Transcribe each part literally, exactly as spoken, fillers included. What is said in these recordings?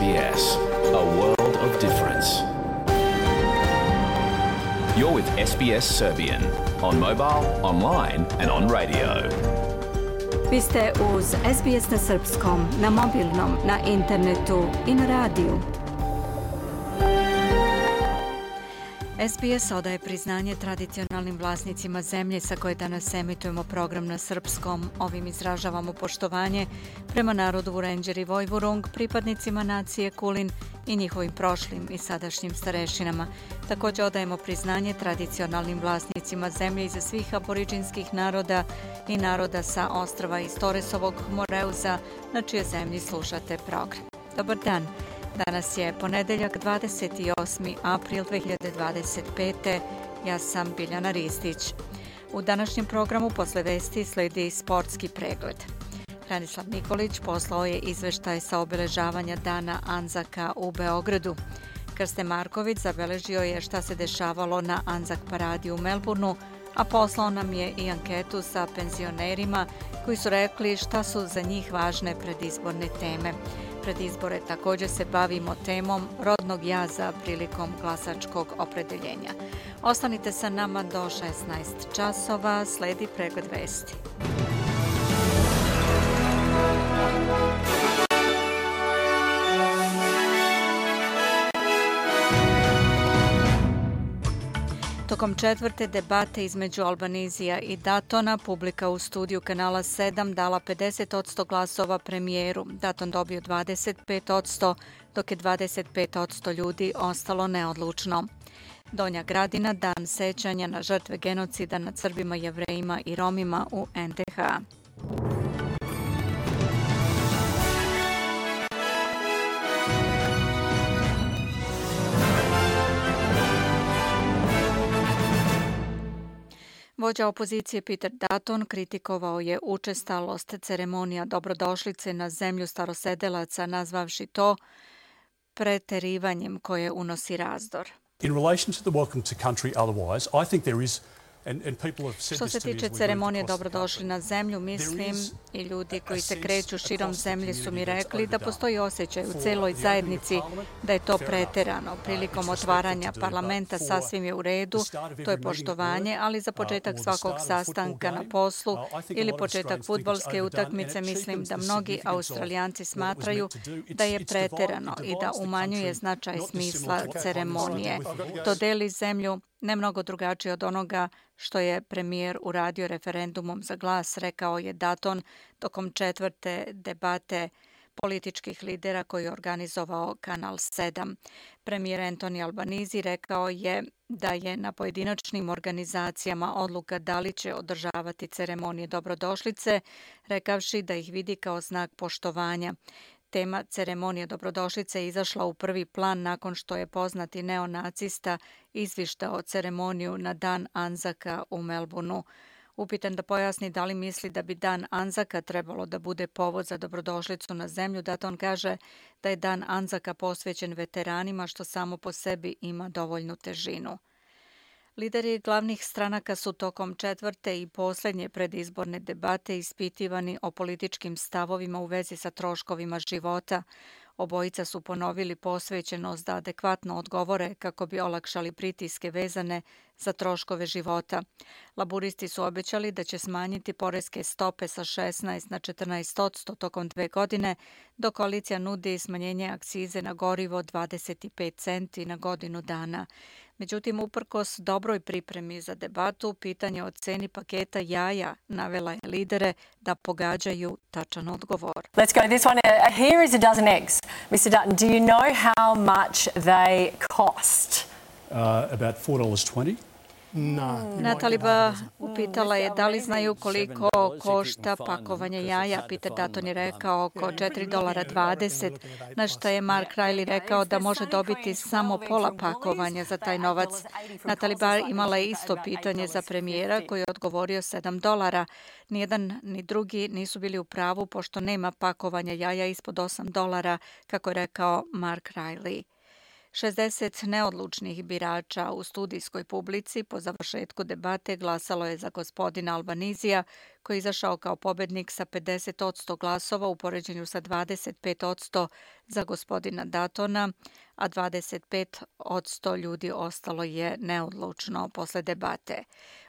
B S, a world of difference. You're with S B S Serbian on mobile, online and on radio. Vi ste uz S B S na srpskom, na mobilnom, na internetu i na radiju. S B S odaje priznanje tradicionalnim vlasnicima zemlje sa koje danas emitujemo program na srpskom. Ovim izražavamo poštovanje prema narodu Vurenđer i Vojvurung, pripadnicima nacije Kulin i njihovim prošlim i sadašnjim starešinama. Također odajemo priznanje tradicionalnim vlasnicima zemlje iza svih aboriđinskih naroda i naroda sa ostrva iz Toresovog Moreuza, na čije zemlji slušate program. Dobar dan. Danas je ponedeljak dvadeset osmi april dve hiljade dvadeset pete. Ja sam Biljana Ristić. U današnjem programu posle vesti sledi sportski pregled. Hranislav Nikolić poslao je izveštaj sa obeležavanja Dana Anzaka u Beogradu. Krste Marković zabeležio je šta se dešavalo na Anzak paradi u Melbourneu, a poslao nam je i anketu sa penzionerima koji su rekli šta su za njih važne predizborne teme. Pred izbore također se bavimo temom rodnog jaza prilikom glasačkog opredeljenja. Ostanite sa nama do šesnaest časova, sledi pregled vesti. Tokom četvrte debate između Albanizija i Datona, publika u studiju kanala sedam dala pedeset posto glasova premijeru. Daton dobio dvadeset pet posto, dok je dvadeset pet posto ljudi ostalo neodlučno. Donja Gradina, dan sećanja na žrtve genocida nad Srbima, Jevrejima i Romima u en de ha. Vođa opozicije Peter Dutton kritikovao je učestalost ceremonija dobrodošlice na zemlju starosedelaca, nazvavši to preterivanjem koje unosi razdor. In relation to the welcome to country otherwise, I think there is. Što se tiče ceremonije dobrodošli na zemlju, mislim i ljudi koji se kreću širom zemlje su mi rekli da postoji osjećaj u celoj zajednici da je to preterano. Prilikom otvaranja parlamenta sasvim je u redu, to je poštovanje, ali za početak svakog sastanka na poslu ili početak fudbalske utakmice mislim da mnogi Australijanci smatraju da je preterano i da umanjuje značaj smisla ceremonije. To deli zemlju ne mnogo drugačije od onoga što je premijer uradio referendumom za glas, rekao je Dutton tokom četvrte debate političkih lidera koji je organizovao kanal sedam. Premijer Anthony Albanese rekao je da je na pojedinačnim organizacijama odluka da li će održavati ceremonije dobrodošlice, rekavši da ih vidi kao znak poštovanja. Tema ceremonije dobrodošlice je izašla u prvi plan nakon što je poznati neonacista izvištao ceremoniju na Dan Anzaka u Melbourneu. Upitan da pojasni da li misli da bi Dan Anzaka trebalo da bude povod za dobrodošlicu na zemlju, Dutton kaže da je Dan Anzaka posvećen veteranima, što samo po sebi ima dovoljnu težinu. Lideri glavnih stranaka su tokom četvrte i posljednje predizborne debate ispitivani o političkim stavovima u vezi sa troškovima života. Obojica su ponovili posvećenost da adekvatno odgovore kako bi olakšali pritiske vezane za troškove života. Laburisti su obećali da će smanjiti poreske stope sa šesnaest na četrnaest posto tokom dve godine, dok koalicija nudi smanjenje akcize na gorivo dvadeset pet centi na godinu dana. Međutim, uprkos dobroj pripremi za debatu, pitanje o ceni paketa jaja navela je lidere da pogađaju tačan odgovor. Let's go to this one. Uh, here is a dozen eggs. mister Dutton, do you know how much they cost? Uh, about four dollars twenty. No. Nataliba upitala je da li znaju koliko košta pakovanje jaja. Peter Dutton je rekao oko četiri dolara dvadeset, na što je Mark Riley rekao da može dobiti samo pola pakovanja za taj novac. Nataliba imala je isto pitanje za premijera koji je odgovorio sedam dolara. Nijedan ni drugi nisu bili u pravu pošto nema pakovanja jaja ispod osam dolara, kako je rekao Mark Riley. šezdeset neodlučnih birača u studijskoj publici po završetku debate glasalo je za gospodina Albanizija, koji je izašao kao pobednik sa pedeset posto glasova u poređenju sa dvadeset pet posto za gospodina Dutona, a dvadeset pet posto ljudi ostalo je neodlučno posle debate.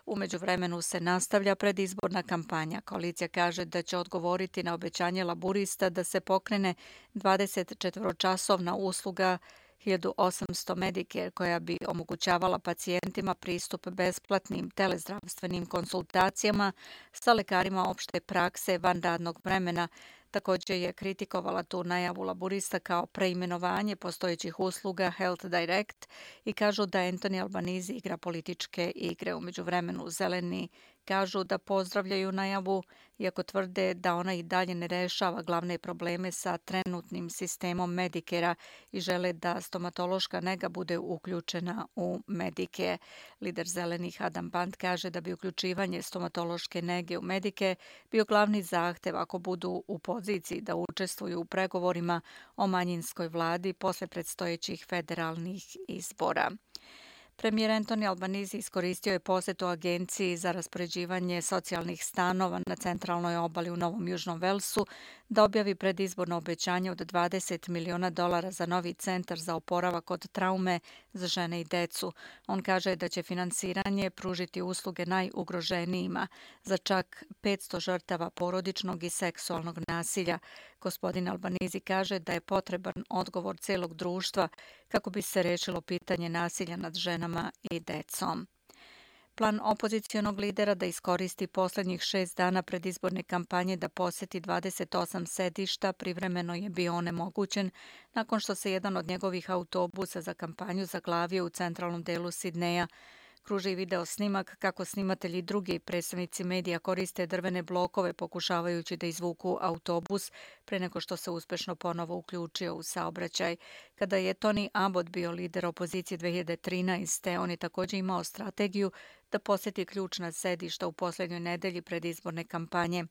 U međuvremenu se nastavlja predizborna kampanja. Koalicija kaže da će odgovoriti na obećanje laburista da se pokrene dvadesetčetvoročasovna usluga hiljadu osamsto Medicare koja bi omogućavala pacijentima pristup besplatnim telezdravstvenim konsultacijama sa lekarima opšte prakse van radnog vremena. Također je kritikovala tu najavu laburista kao preimenovanje postojećih usluga Health Direct i kažu da Anthony Albanese igra političke igre. U međuvremenu zeleni kažu da pozdravljaju najavu, iako tvrde da ona i dalje ne rešava glavne probleme sa trenutnim sistemom Medicare-a i žele da stomatološka nega bude uključena u Medicare. Lider zelenih Adam Band kaže da bi uključivanje stomatološke nege u Medicare bio glavni zahtev ako budu u poziciji da učestvuju u pregovorima o manjinskoj vladi posle predstojećih federalnih izbora. Premijer Anthony Albanese iskoristio je posetu Agenciji za raspoređivanje socijalnih stanova na centralnoj obali u Novom Južnom Velsu da objavi predizborno obećanje od dvadeset miliona dolara za novi centar za oporavak od traume za žene i decu. On kaže da će finansiranje pružiti usluge najugroženijima za čak petsto žrtava porodičnog i seksualnog nasilja. Gospodin Albanese kaže da je potreban odgovor celog društva kako bi se rešilo pitanje nasilja nad ženama i decom. Plan opozicionog lidera da iskoristi poslednjih šest dana predizborne kampanje da poseti dvadeset osam sedišta privremeno je bio onemogućen nakon što se jedan od njegovih autobusa za kampanju zaglavio u centralnom delu Sidneja. Kruži video snimak kako snimatelji i drugi predstavnici medija koriste drvene blokove pokušavajući da izvuku autobus pre nego što se uspešno ponovo uključio u saobraćaj. Kada je Tony Abbott bio lider opozicije dve hiljade trinaeste. on je također imao strategiju da poseti ključna sedišta u posljednjoj nedelji predizborne kampanje.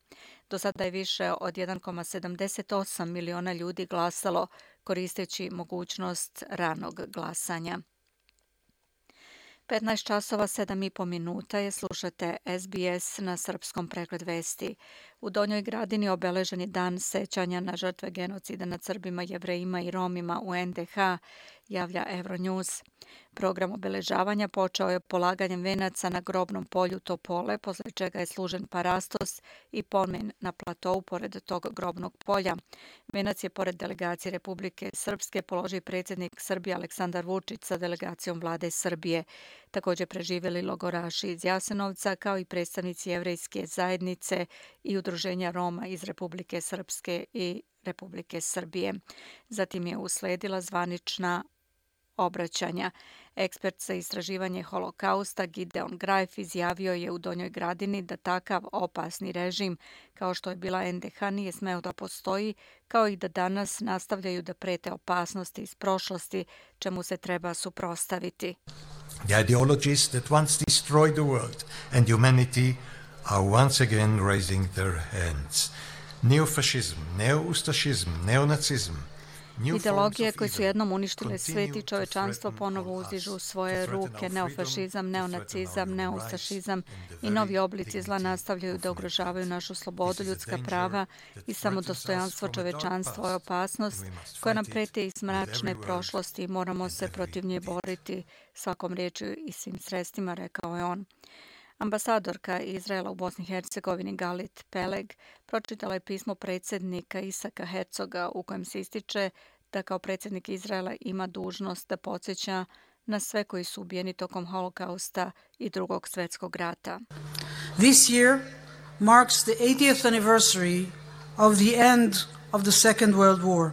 Do sada je više od jedan zarez sedamdeset osam miliona ljudi glasalo koristeći mogućnost ranog glasanja. petnaest časova sedam i po minuta je, slušate S B S na srpskom pregled vesti. U Donjoj Gradini obeležen je dan sećanja na žrtve genocida nad Srbima, Jevrejima i Romima u N D H, javlja Euronews. Program obeležavanja počeo je polaganjem venaca na grobnom polju Topole, posle čega je služen parastos i pomen na platou pored tog grobnog polja. Venac je pored delegacije Republike Srpske položio predsjednik Srbije Aleksandar Vučić sa delegacijom vlade Srbije. Također preživjeli logoraši iz Jasenovca kao i predstavnici jevrejske zajednice i udruženja Roma iz Republike Srpske i Republike Srbije. Zatim je usledila zvanična obraćanja. Ekspert za istraživanje holokausta Gideon Greif izjavio je u Donjoj Gradini da takav opasni režim kao što je bila N D H nije smeo da postoji, kao i da danas nastavljaju da prete opasnosti iz prošlosti, čemu se treba suprotstaviti. The ideologies that once destroyed the world and humanity are once again raising their hands. Neofascism, neoustašizm, neonacizm. Ideologije koje su jednom uništile svet i čovečanstvo ponovo uzdižu svoje ruke. Neofašizam, neonacizam, neoustašizam i novi oblici zla nastavljaju da ugrožavaju našu slobodu, ljudska prava i samodostojanstvo čovečanstva je opasnost koja nam preti iz mračne prošlosti i moramo se protiv nje boriti svakom riječju i svim sredstvima, rekao je on. Ambasadorka Izraela u Bosni i Hercegovini Galit Peleg pročitala je pismo predsjednika Isaka Hercoga u kojem se ističe da kao predsjednik Izraela ima dužnost da podsjeća na sve koji su ubijeni tokom holokausta i drugog svjetskog rata. This year marks the eightieth anniversary of the end of the Second World War.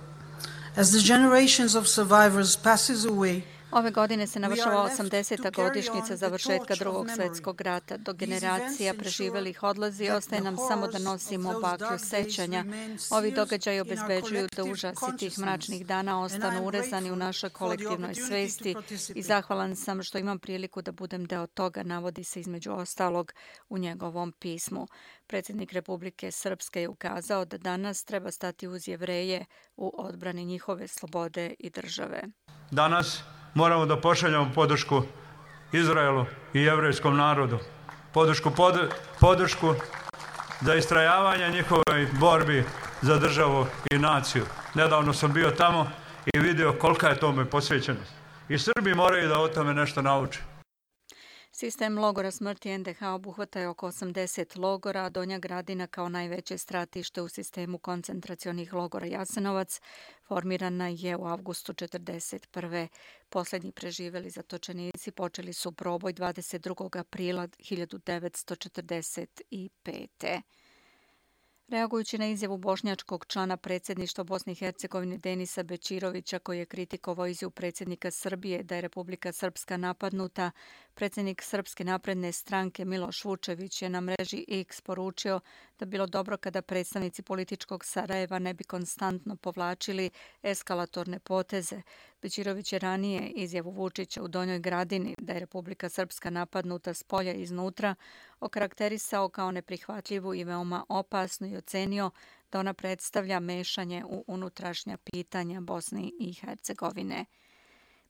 As the generations of survivors passes away, Ove godine se navršava osamdeseta godišnjica završetka Drugog svjetskog rata. Do generacija preživelih odlazi, ostaje nam samo da nosimo baklju sećanja. Ovi događaji obezbeđuju da užasi tih mračnih dana ostanu urezani u našoj kolektivnoj svesti i zahvalan sam što imam priliku da budem deo toga, navodi se između ostalog u njegovom pismu. Predsjednik Republike Srpske je ukazao da danas treba stati uz Jevreje u odbrani njihove slobode i države. Danas moramo da pošaljamo podršku Izraelu i jevrejskom narodu. Podršku, pod, podršku za istrajavanje njihove borbi za državu i naciju. Nedavno sam bio tamo i vidio kolika je tome posvećenost. I Srbi moraju da o tome nešto nauče. Sistem logora smrti en de ha obuhvata je oko osamdeset logora, a Donja Gradina kao najveće stratište u sistemu koncentracionih logora Jasenovac formirana je u avgustu četrdeset prve. Posljednji preživeli zatočenici počeli su proboj dvadeset drugog aprila hiljadu devetsto četrdeset pete. Reagujući na izjavu bošnjačkog člana predsjedništva Bosne i Hercegovine Denisa Bećirovića, koji je kritikovao izjavu predsjednika Srbije da je Republika Srpska napadnuta, predsjednik Srpske napredne stranke Miloš Vučević je na mreži X poručio da bilo dobro kada predstavnici političkog Sarajeva ne bi konstantno povlačili eskalatorne poteze. Bećirović je ranije izjavu Vučića u Donjoj Gradini da je Republika Srpska napadnuta s polja i iznutra okarakterisao kao neprihvatljivu i veoma opasnu i ocenio da ona predstavlja mešanje u unutrašnja pitanja Bosne i Hercegovine.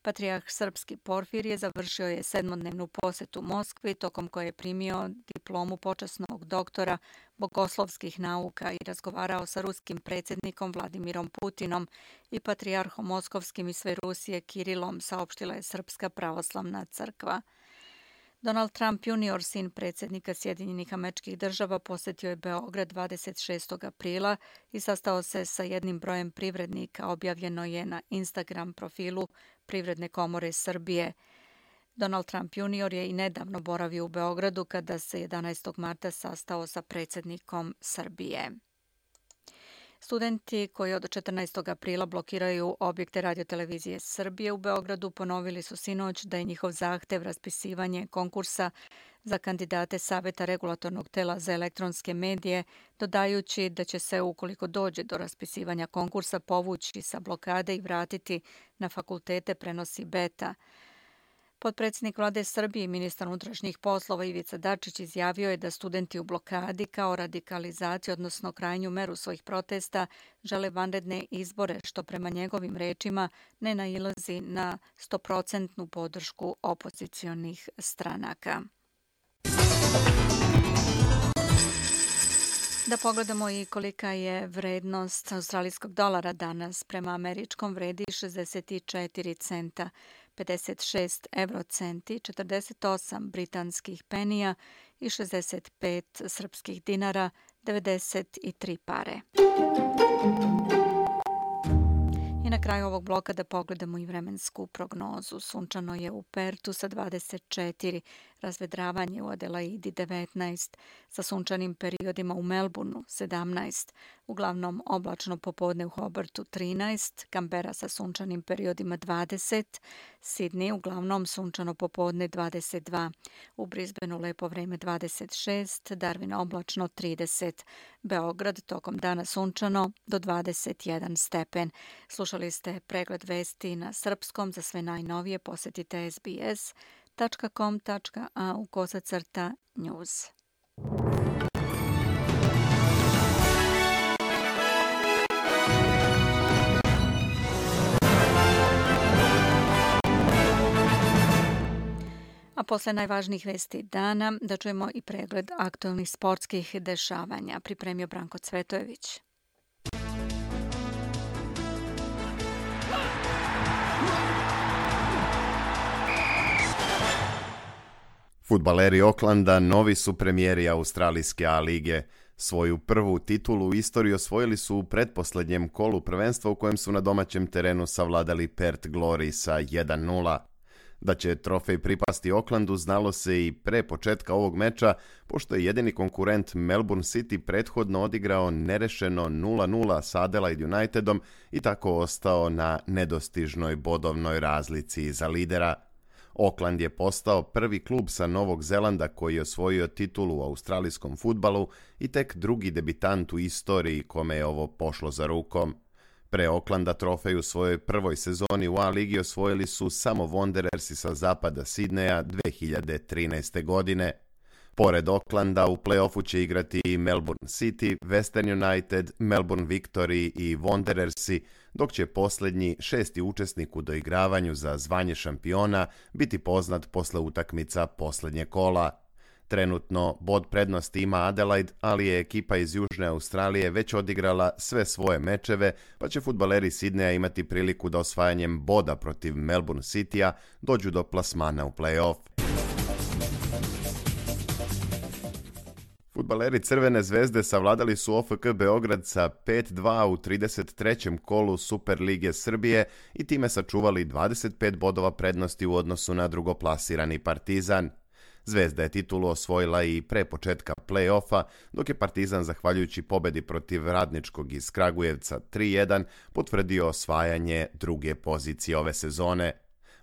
Patrijarh srpski Porfirije završio je sedmodnevnu posetu Moskvi, tokom koje je primio diplomu počasnog doktora bogoslovskih nauka i razgovarao sa ruskim predsjednikom Vladimirom Putinom i patrijarhom moskovskim iz sve Rusije Kirilom, saopštila je Srpska pravoslavna crkva. Donald Trump junior, sin predsjednika Sjedinjenih Američkih Država, posjetio je Beograd dvadeset šestog aprila i sastao se sa jednim brojem privrednika, objavljeno je na Instagram profilu Privredne komore Srbije. Donald Trump junior je i nedavno boravio u Beogradu kada se jedanaestog marta sastao sa predsjednikom Srbije. Studenti koji od četrnaestog aprila blokiraju objekte radiotelevizije Srbije u Beogradu ponovili su sinoć da je njihov zahtev raspisivanje konkursa za kandidate Saveta regulatornog tela za elektronske medije, dodajući da će se, ukoliko dođe do raspisivanja konkursa, povući sa blokade i vratiti na fakultete, prenosi Beta. Potpredsjednik Vlade Srbije i ministar unutrašnjih poslova Ivica Dačić izjavio je da studenti u blokadi kao radikalizaciju, odnosno krajnju meru svojih protesta, žele vanredne izbore, što prema njegovim rečima ne nailazi na stoprocentnu podršku opozicionih stranaka. Da pogledamo i kolika je vrednost australijskog dolara danas. Prema američkom vredi šezdeset četiri centa, pedeset šest eurocenti, četrdeset osam britanskih penija i šezdeset pet srpskih dinara, devedeset tri pare. I na kraju ovog bloka da pogledamo i vremensku prognozu. Sunčano je u Pertu sa dvadeset četiri, razvedravanje u Adelaidi devetnaest, sa sunčanim periodima u Melbourneu sedamnaest, uglavnom oblačno popodne u Hobartu trinaest, Canberra sa sunčanim periodima dvadeset, Sydney uglavnom sunčano popodne dvadeset dva, u Brisbaneu lepo vreme dvadeset šest, Darwin oblačno trideset, Beograd tokom dana sunčano do dvadeset jedan stepen. Slušali ste pregled vesti na srpskom. Za sve najnovije posjetite es be es tačka com tačka a u kosacrta news. A posle najvažnijih vesti dana da čujemo i pregled aktualnih sportskih dešavanja. Pripremio Branko Cvetojević. Fudbaleri Aucklanda novi su premijeri australijske A lige. Svoju prvu titulu u istoriji osvojili su u pretposljednjem kolu prvenstva u kojem su na domaćem terenu savladali Perth Glory sa jedan nula. Da će trofej pripasti Oaklandu znalo se i pre početka ovog meča, pošto je jedini konkurent Melbourne City prethodno odigrao nerešeno nula nula sa Adelaide Unitedom i tako ostao na nedostižnoj bodovnoj razlici za lidera. Auckland je postao prvi klub sa Novog Zelanda koji je osvojio titulu u australijskom fudbalu i tek drugi debitant u istoriji kome je ovo pošlo za rukom. Pre Aucklanda trofej u svojoj prvoj sezoni u A ligi osvojili su samo Wanderersi sa zapada Sidneja dve hiljade trinaeste. godine. Pored Aucklanda u play-offu će igrati i Melbourne City, Western United, Melbourne Victory i Wanderersi, dok će posljednji šesti učesnik u doigravanju za zvanje šampiona biti poznat posle utakmica posljednje kola. Trenutno bod prednosti ima Adelaide, ali je ekipa iz Južne Australije već odigrala sve svoje mečeve, pa će fudbaleri Sidneja imati priliku da osvajanjem boda protiv Melbourne Citya dođu do plasmana u play-off. Fudbaleri Crvene zvezde savladali su O F K Beograd sa pet dva u trideset trećem kolu Super lige Srbije i time sačuvali dvadeset pet bodova prednosti u odnosu na drugoplasirani Partizan. Zvezda je titulu osvojila i pre početka play-offa, dok je Partizan, zahvaljujući pobedi protiv Radničkog iz Kragujevca tri jedan, potvrdio osvajanje druge pozicije ove sezone.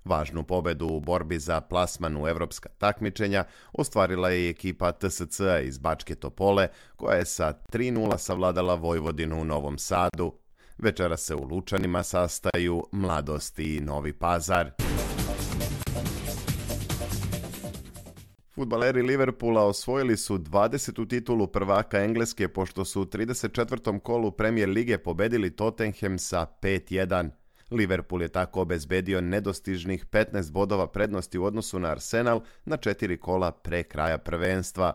Važnu pobedu u borbi za plasman u evropska takmičenja ostvarila je i ekipa T S C iz Bačke Topole, koja je sa tri nula savladala Vojvodinu u Novom Sadu. Večera se u Lučanima sastaju Mladost i Novi Pazar. Fudbaleri Liverpoola osvojili su dvadesetu titulu prvaka Engleske pošto su u trideset četvrtom kolu Premier lige pobedili Tottenham sa pet jedan. Liverpool je tako obezbedio nedostižnih petnaest bodova prednosti u odnosu na Arsenal na četiri kola pre kraja prvenstva.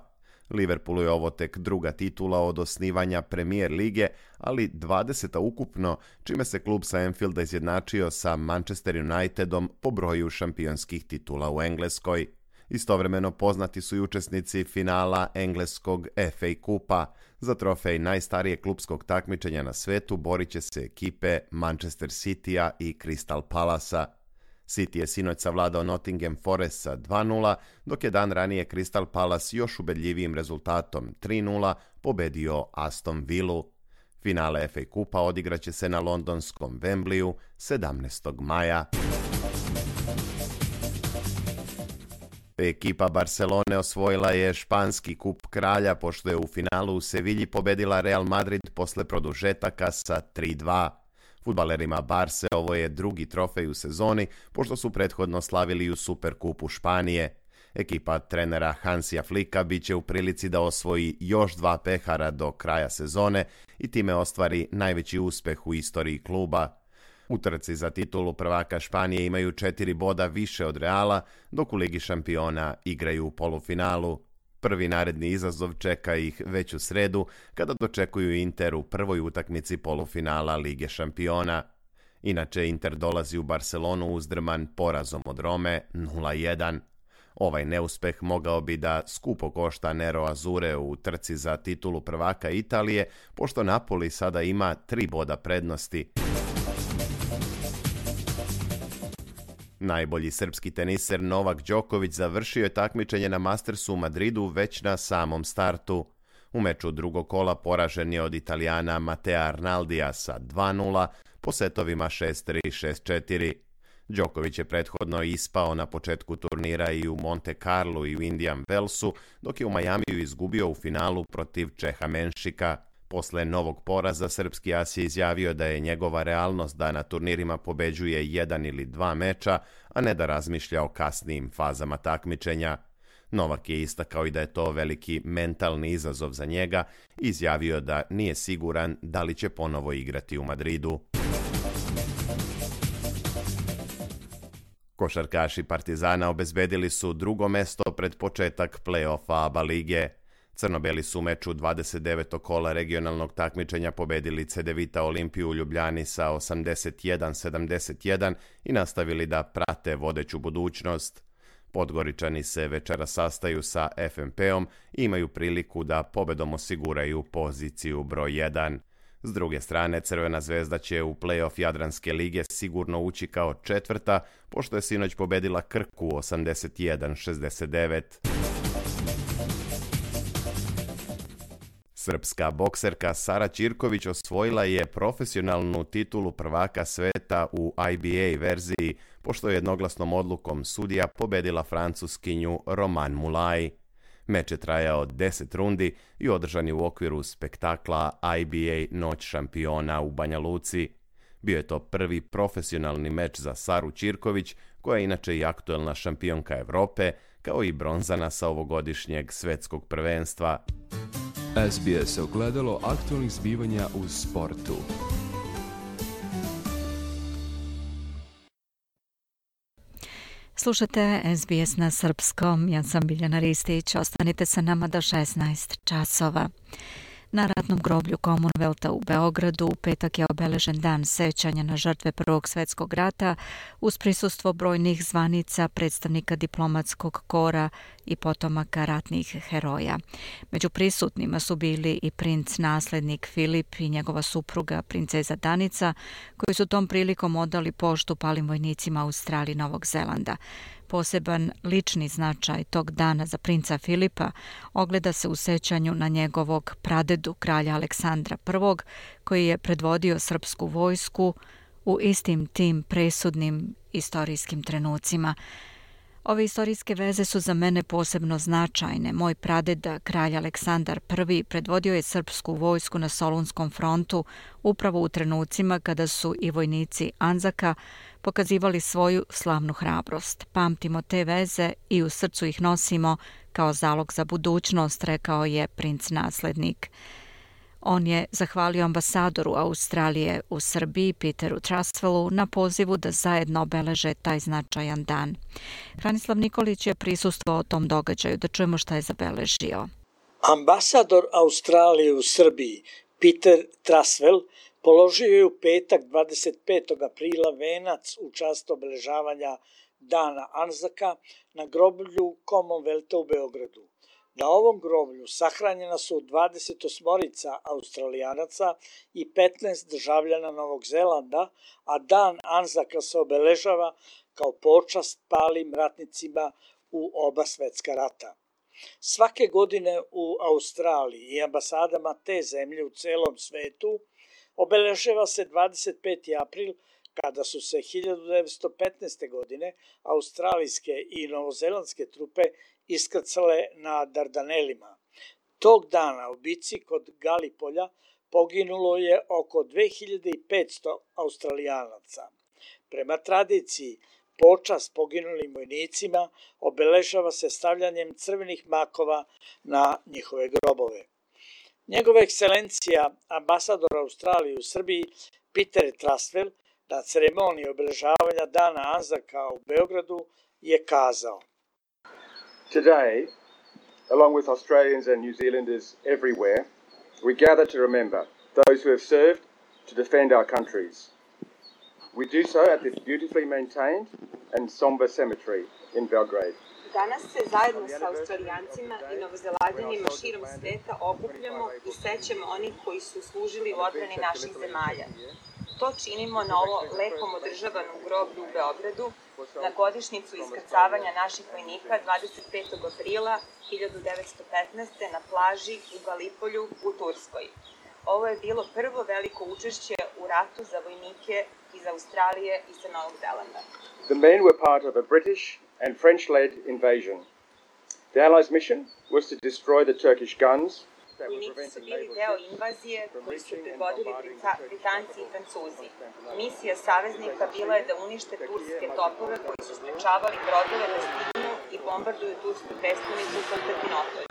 Liverpoolu je ovo tek druga titula od osnivanja Premier lige, ali dvadeseta ukupno, čime se klub sa Anfielda izjednačio sa Manchester Unitedom po broju šampionskih titula u Engleskoj. Istovremeno poznati su i učesnici finala engleskog F A kupa. Za trofej najstarijeg klupskog takmičenja na svetu borit će se ekipe Manchester Citya i Crystal Palacea. City je sinoć savladao Nottingham Forest sa dva nula, dok je dan ranije Crystal Palace još ubedljivijim rezultatom tri nula pobedio Aston Villu. Finale F A kupa odigraće se na londonskom Wembleyu sedamnaestog maja. Ekipa Barcelone osvojila je španski kup kralja pošto je u finalu u Sevilji pobedila Real Madrid posle produžetaka sa tri dva. Fudbalerima Barse ovo je drugi trofej u sezoni pošto su prethodno slavili u Superkupu Španije. Ekipa trenera Hansija Flicka bit će u prilici da osvoji još dva pehara do kraja sezone i time ostvari najveći uspeh u istoriji kluba. U trci za titulu prvaka Španije imaju četiri boda više od Reala, dok u Ligi šampiona igraju u polufinalu. Prvi naredni izazov čeka ih već u sredu, kada dočekuju Inter u prvoj utakmici polufinala Lige šampiona. Inače, Inter dolazi u Barcelonu uzdrman porazom od Rome nula jedan. Ovaj neuspeh mogao bi da skupo košta Nero Azure u trci za titulu prvaka Italije, pošto Napoli sada ima tri boda prednosti. Najbolji srpski teniser Novak Đoković završio je takmičenje na Mastersu u Madridu već na samom startu. U meču drugog kola poražen je od Italijana Matea Arnaldija sa dva nula po setovima šest tri šest četiri. Đoković je prethodno ispao na početku turnira i u Monte Carlu i u Indian Wellsu, dok je u Majamiju izgubio u finalu protiv Čeha Menšika. Posle novog poraza, srpski as je izjavio da je njegova realnost da na turnirima pobeđuje jedan ili dva meča, a ne da razmišlja o kasnijim fazama takmičenja. Novak je istakao i da je to veliki mentalni izazov za njega i izjavio da nije siguran da li će ponovo igrati u Madridu. Košarkaši Partizana obezbedili su drugo mesto pred početak play-offa A B A lige. Crnobeli su u meču dvadeset devetog kola regionalnog takmičenja pobedili Cedevita Olimpiju u Ljubljani sa osamdeset jedan sedamdeset jedan i nastavili da prate vodeću budućnost. Podgoričani se večera sastaju sa F M P-om i imaju priliku da pobedom osiguraju poziciju broj jedan. S druge strane, Crvena zvezda će u play-off Jadranske lige sigurno ući kao četvrta, pošto je sinoć pobedila Krku osamdeset jedan šezdeset devet. Srpska bokserka Sara Ćirković osvojila je profesionalnu titulu prvaka sveta u I B A verziji, pošto je jednoglasnom odlukom sudija pobedila Francuskinju Roman Mulaj. Meč je trajao deset rundi i održan je u okviru spektakla I B A Noć šampiona u Banja Luci. Bio je to prvi profesionalni meč za Saru Ćirković, koja je inače i aktuelna šampionka Evrope, kao i bronzana sa ovogodišnjeg svetskog prvenstva. S B S ogledalo aktualnih zbivanja u sportu. Slušate S B S na srpskom, ja sam Biljana Ristić, ostanite sa nama do šesnaest časova. Na ratnom groblju Commonwealtha u Beogradu u petak je obeležen dan sećanja na žrtve Prvog svjetskog rata uz prisustvo brojnih zvanica, predstavnika diplomatskog kora i potomaka ratnih heroja. Među prisutnima su bili i princ naslednik Filip i njegova supruga princeza Danica, koji su tom prilikom odali poštu palim vojnicima Australije i Novog Zelanda. Poseban lični značaj tog dana za princa Filipa ogleda se u sećanju na njegovog pradedu, kralja Aleksandra I, koji je predvodio srpsku vojsku u istim tim presudnim istorijskim trenucima. Ove istorijske veze su za mene posebno značajne. Moj pradeda, kralj Aleksandar I, predvodio je srpsku vojsku na Solunskom frontu upravo u trenucima kada su i vojnici Anzaka pokazivali svoju slavnu hrabrost. Pamtimo te veze i u srcu ih nosimo kao zalog za budućnost, rekao je princ naslednik. On je zahvalio ambasadoru Australije u Srbiji, Peteru Trustwellu, na pozivu da zajedno obeleže taj značajan dan. Hranislav Nikolić je prisustvovao tom događaju, da čujemo šta je zabeležio. Ambasador Australije u Srbiji, Peter Trustwell, položio je u petak dvadeset petog aprila venac u čast obeležavanja Dana Anzaka na groblju Commonwealtha u Beogradu. Na ovom groblju sahranjena su dvadeset osmorica Australijanaca i petnaest državljana Novog Zelanda, a Dan Anzaka se obeležava kao počast palim ratnicima u oba svetska rata. Svake godine u Australiji i ambasadama te zemlje u celom svetu obeležava se dvadeset peti april, kada su se hiljadu devetsto petnaeste. godine australijske i novozelandske trupe iskrcale na Dardanelima. Tog dana u bici kod Galipolja poginulo je oko dve hiljade petsto Australijanaca. Prema tradiciji, počast poginulim vojnicima obeležava se stavljanjem crvenih makova na njihove grobove. Njegova ekscelencija, ambasador Australije u Srbiji, Peter Trustwell, na ceremoniji obeležavanja Dana Anzaka u Beogradu je kazao: Today, along with Australians and New Zealanders everywhere, we gather to remember those who have served to defend our countries. We do so at this beautifully maintained and somber cemetery in Belgrade. Danas se zajedno sa Australijancima i Novozelanđanima širom sveta okupljamo i sećamo onih koji su služili u odbrani naših zemalja. To činimo na ovo lepom održavanom groblju u Beogradu na godišnjicu iskrcavanja naših vojnika dvadeset petog aprila hiljadu devetsto petnaeste. na plaži u Galipolju u Turskoj. Ovo je bilo prvo veliko učešće u ratu za vojnike iz Australije i sa Novog Zelanda. The men were part of a British and French-led invasion. The Allies' mission was to destroy the Turkish guns. Vojnici su bili deo invazije koju su predvodili Britanci i Francuzi. Misija saveznika bila je da unište turske topove koji su sprečavali brodove da stignu i bombarduju tursku prestonicu Konstantinopolj.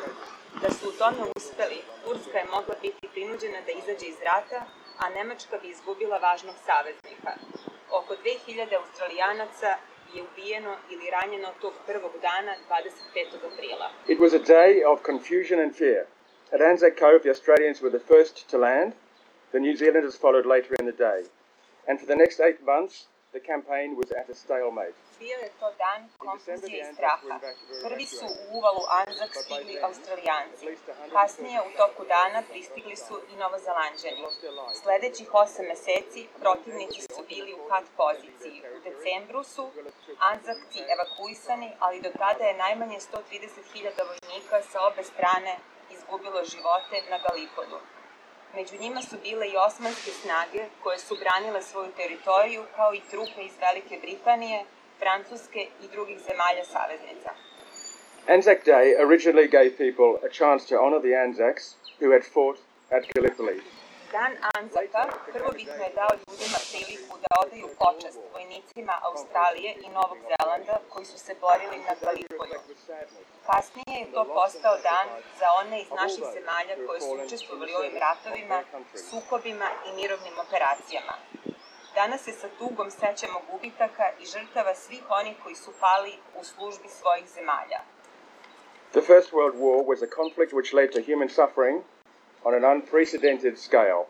Da su u tome uspeli, Turska je mogla biti prinuđena da izađe iz rata, a Nemačka bi izgubila važnog saveznika. Oko dve hiljade Australijanaca je ubijeno ili ranjeno tog prvog dana dvadeset petog aprila. It was a day of confusion and fear. At Anzac Cove, the Australians were the first to land. The New Zealanders followed later in the day. And for the next eight months, the campaign was at a stalemate. Bio je to dan konfuzije i straha. Prvi su u uvalu Anzac stigli Australijanci. Kasnije u toku dana pristigli su i Novozelanđani. Sledećih osam meseci protivnici su bili u kat poziciji. U decembru su Anzacci evakuisani, ali do tada je najmanje sto trideset hiljada vojnika sa obe strane izgubilo živote na Galipodu. Među njima su bile i osmanske snage koje su branile svoju teritoriju, kao i trupe iz Velike Britanije, Francuske i drugih zemalja saveznica. Anzac Day originally gave people a chance to honor the Anzacs who had fought at Gallipoli. Dan Anzaka prvobitno je dao ljudima priliku da odaju počast vojnicima Australije i Novog Zelanda koji su se borili na Galipolju. Kasnije je to postao dan za one iz naših zemalja koje su učestvovali u ovim ratovima, sukobima i mirovnim operacijama. Danas se sa tugom sećamo gubitaka i žrtava svih onih koji su pali u službi svojih zemalja. The First World War was a conflict which led to human suffering on an unprecedented scale.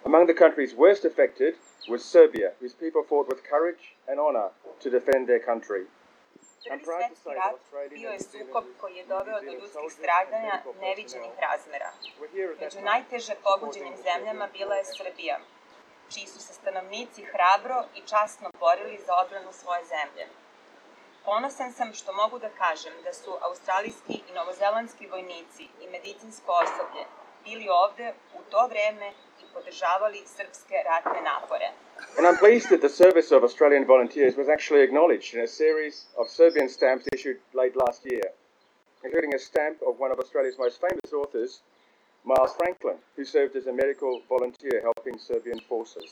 Among the countries worst affected was Serbia, whose people fought with courage and honor to defend their country. Prvi svetski rat bio je sukob koji je doveo do ljudskih stradanja neviđenih razmera. Među najteže pogođenim zemljama bila je Srbija, čiji su se stanovnici hrabro i časno borili za odbranu svoje zemlje. Ponosan sam što mogu da kažem da su australijski i novozelandski vojnici i medicinsko osoblje bili ovde u to vreme i podržavali srpske ratne napore. And I'm pleased that the service of Australian volunteers was actually acknowledged in a series of Serbian stamps issued late last year, including a stamp of one of Australia's most famous authors, Miles Franklin, who served as a medical volunteer helping Serbian forces.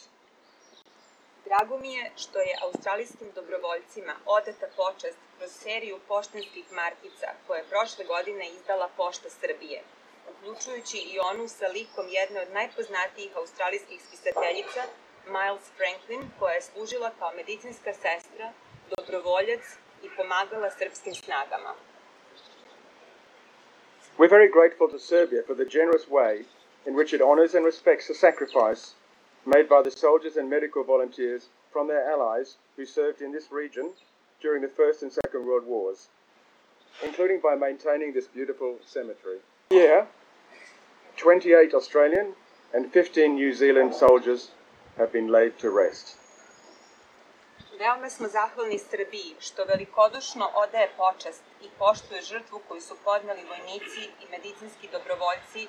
Drago mi je što je australijskim dobrovoljcima odata počast kroz seriju poštanskih markica koje je prošle godine izdala Pošta Srbije, uključujući i onu sa likom jedne od najpoznatijih australijskih spisateljica, Miles Franklin, koja je služila kao medicinska sestra, dobrovoljac i pomagala srpskim snagama. We're very grateful to Serbia for the generous way in which it honors and respects the sacrifice made by the soldiers and medical volunteers from their allies who served in this region during the First and Second World Wars, including by maintaining this beautiful cemetery. Here, twenty-eight Australian and fifteen New Zealand soldiers have been laid to rest. Veoma smo zahvalni Srbiji što velikodušno odaje počast i poštuje žrtvu koju su podneli vojnici i medicinski dobrovoljci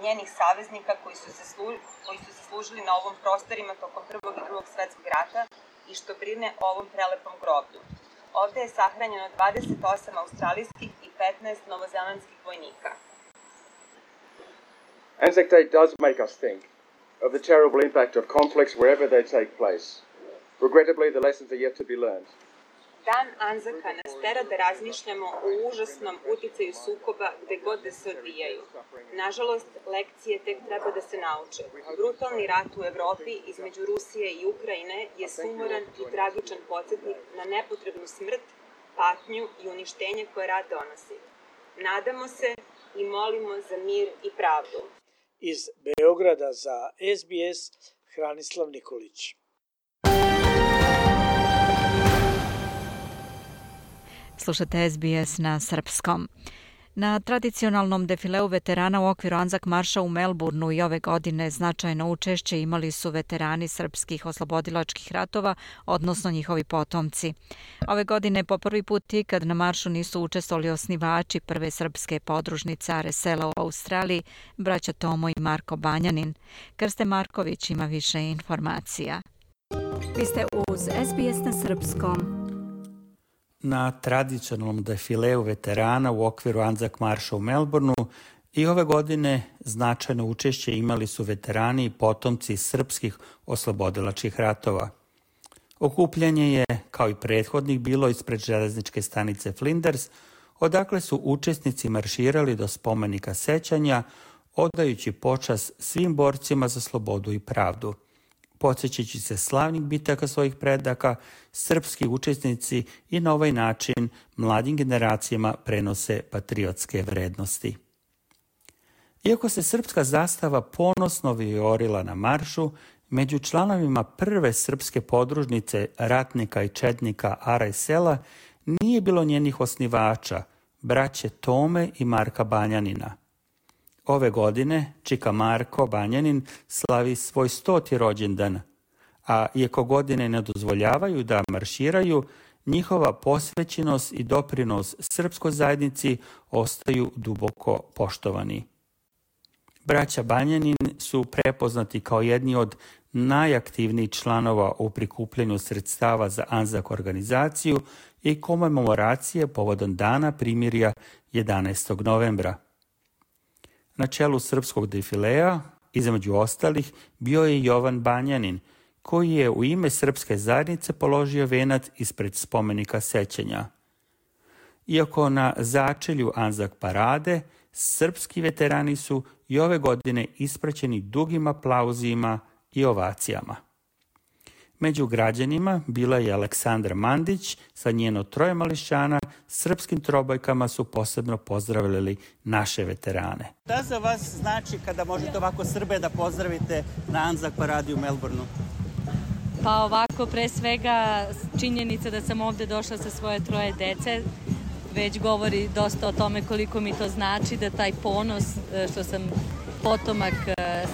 njenih saveznika koji su se, slu, koji su se služili na ovom prostorima tokom Prvog i Drugog svetskog rata i što brine o ovom prelepom groblju. Ovde je sahranjeno dvadeset osam australijskih i petnaest novozelandskih vojnika. Anzac Day does make us think of the terrible impact of conflicts wherever they take place. Regrettably, the lessons are yet to be learned. Dan Anzaka nas tera da razmišljamo o užasnom uticaju sukoba gde god da se odvijaju. Nažalost, lekcije tek treba da se nauče. Brutalni rat u Evropi između Rusije i Ukrajine je sumoran i tragičan podsjetnik na nepotrebnu smrt, patnju i uništenje koje rat donosi. Nadamo se i molimo za mir i pravdu. Iz Beograda za S B S, Hranislav Nikolić. Slušate S B S na srpskom. Na tradicionalnom defileu veterana u okviru Anzac marša u Melbourneu i ove godine značajno učešće imali su veterani srpskih oslobodilačkih ratova, odnosno njihovi potomci. Ove godine po prvi put ikad na maršu nisu učestvovali osnivači prve srpske podružnice Are sela u Australiji, braća Tomo i Marko Banjanin. Krste Marković ima više informacija. Vi ste uz S B S na srpskom. Na tradicionalnom defileu veterana u okviru Anzac marša u Melbourneu i ove godine značajno učešće imali su veterani i potomci srpskih oslobodilačkih ratova. Okupljanje je, kao i prethodnih, bilo ispred železničke stanice Flinders, odakle su učesnici marširali do spomenika sećanja, odajući počast svim borcima za slobodu i pravdu. Podsjećajući se slavnih bitaka svojih predaka, srpski učesnici i na ovaj način mladim generacijama prenose patriotske vrednosti. Iako se srpska zastava ponosno vijorila na maršu, Među članovima prve srpske podružnice ratnika i četnika Ara i Sela nije bilo njenih osnivača, braće Tome i Marka Banjanina. Ove godine čika Marko Banjanin slavi svoj stoti rođendan, a iako godine ne dozvoljavaju da marširaju, njihova posvećenost i doprinos srpskoj zajednici ostaju duboko poštovani. Braća Banjanin su prepoznati kao jedni od najaktivnijih članova u prikupljanju sredstava za Anzak organizaciju i komemoracije povodom Dana primirja jedanaestog novembra. Na čelu srpskog defilea, između ostalih, bio je Jovan Banjanin, koji je u ime srpske zajednice položio venac ispred spomenika sećanja. Iako na začelju Anzak parade, srpski veterani su i ove godine ispraćeni dugim aplauzima i ovacijama. Među građanima bila je Aleksandra Mandić, sa njeno troje mališana, srpskim trobojkama su posebno pozdravljali naše veterane. Šta za vas znači kada možete ovako Srbe da pozdravite na Anzak paradi u Melbourneu? Pa ovako, pre svega, činjenica da sam ovde došla sa svoje troje dece, već govori dosta o tome koliko mi to znači, da taj ponos što sam potomak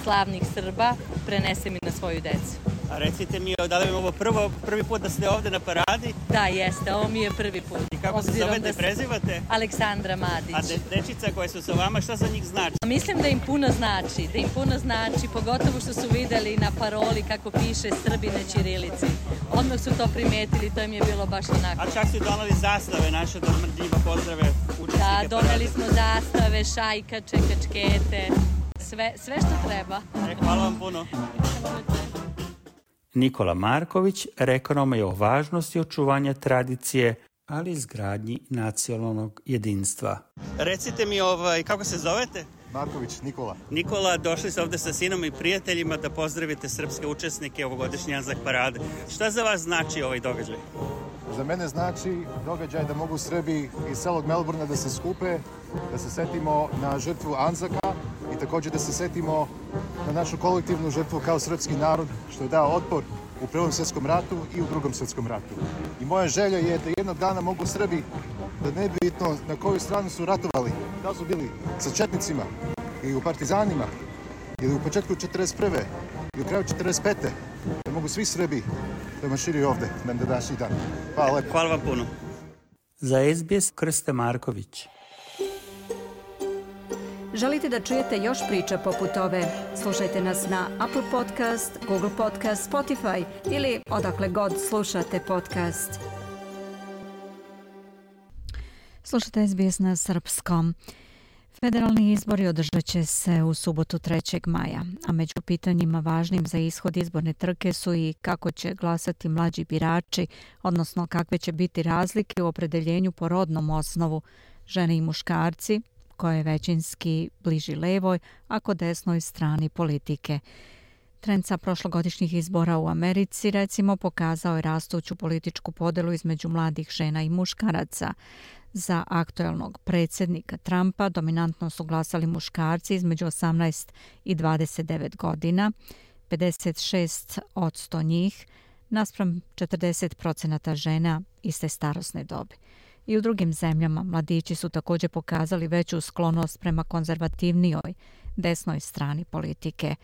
slavnih Srba prenesem i na svoju decu. A recite mi, da li je ovo prvo, prvi put da ste ovde na paradi? Da, jeste, ovo mi je prvi put. I kako se zovete, da prezivate? Aleksandra Madić. A de, dečica koje su sa vama, šta za njih znači? Mislim da im puno znači, da im puno znači, pogotovo što su videli na paroli kako piše Srbi na ćirilici. Odmah su to primetili, to im je bilo baš onako. A čak su doneli zastave naše, da njima pozdrave učesnike parade. Da, doneli smo zastave, šajkače, kačkete, sve, sve što treba. E, hvala vam puno. Nikola Marković rekao nam je o važnosti očuvanja tradicije, ali i izgradnji nacionalnog jedinstva. Recite mi, ovaj, kako se zovete? Marković, Nikola. Nikola, došli ste ovde sa sinom i prijateljima da pozdravite srpske učesnike ovogodišnje Anzak parade. Šta za vas znači ovaj događaj? Za mene znači događaj da mogu Srbi iz celog Melbourna da se skupe, da se setimo na žrtvu Anzaka i također da se setimo na našu kolektivnu žrtvu kao srpski narod što je dao otpor u Prvom svjetskom ratu i u Drugom svjetskom ratu. I moja želja je da jednog dana mogu Srbi, da ne bitno na koju stranu su ratovali, da su bili sa četnicima ili u partizanima ili u početku četrdeset prve i u kraju četrdeset pete da mogu svi Srbi da marširaju ovde na današnji dan. Hvala lepo. Hvala vam puno. Za S B S Krste Marković. Želite da čujete još priča poput ove? Slušajte nas na Apple Podcast, Google Podcast, Spotify ili odakle god slušate podcast. Slušate S B S na srpskom. Federalni izbori održat će se u subotu trećeg maja, a među pitanjima važnim za ishod izborne trke su i kako će glasati mlađi birači, odnosno kakve će biti razlike u opredeljenju po rodnom osnovu, žene i muškarci, koja je većinski bliži levoj, a kod desnoj strani politike. Trend sa prošlogodišnjih izbora u Americi, recimo, pokazao je rastuću političku podelu između mladih žena i muškaraca. Za aktuelnog predsjednika Trumpa dominantno su glasali muškarci između osamnaest i dvadeset devet godina, pedeset šest posto njih, naspram četrdeset procenata žena iste starosne dobi. I u drugim zemljama mladići su također pokazali veću sklonost prema konzervativnijoj desnoj strani politike.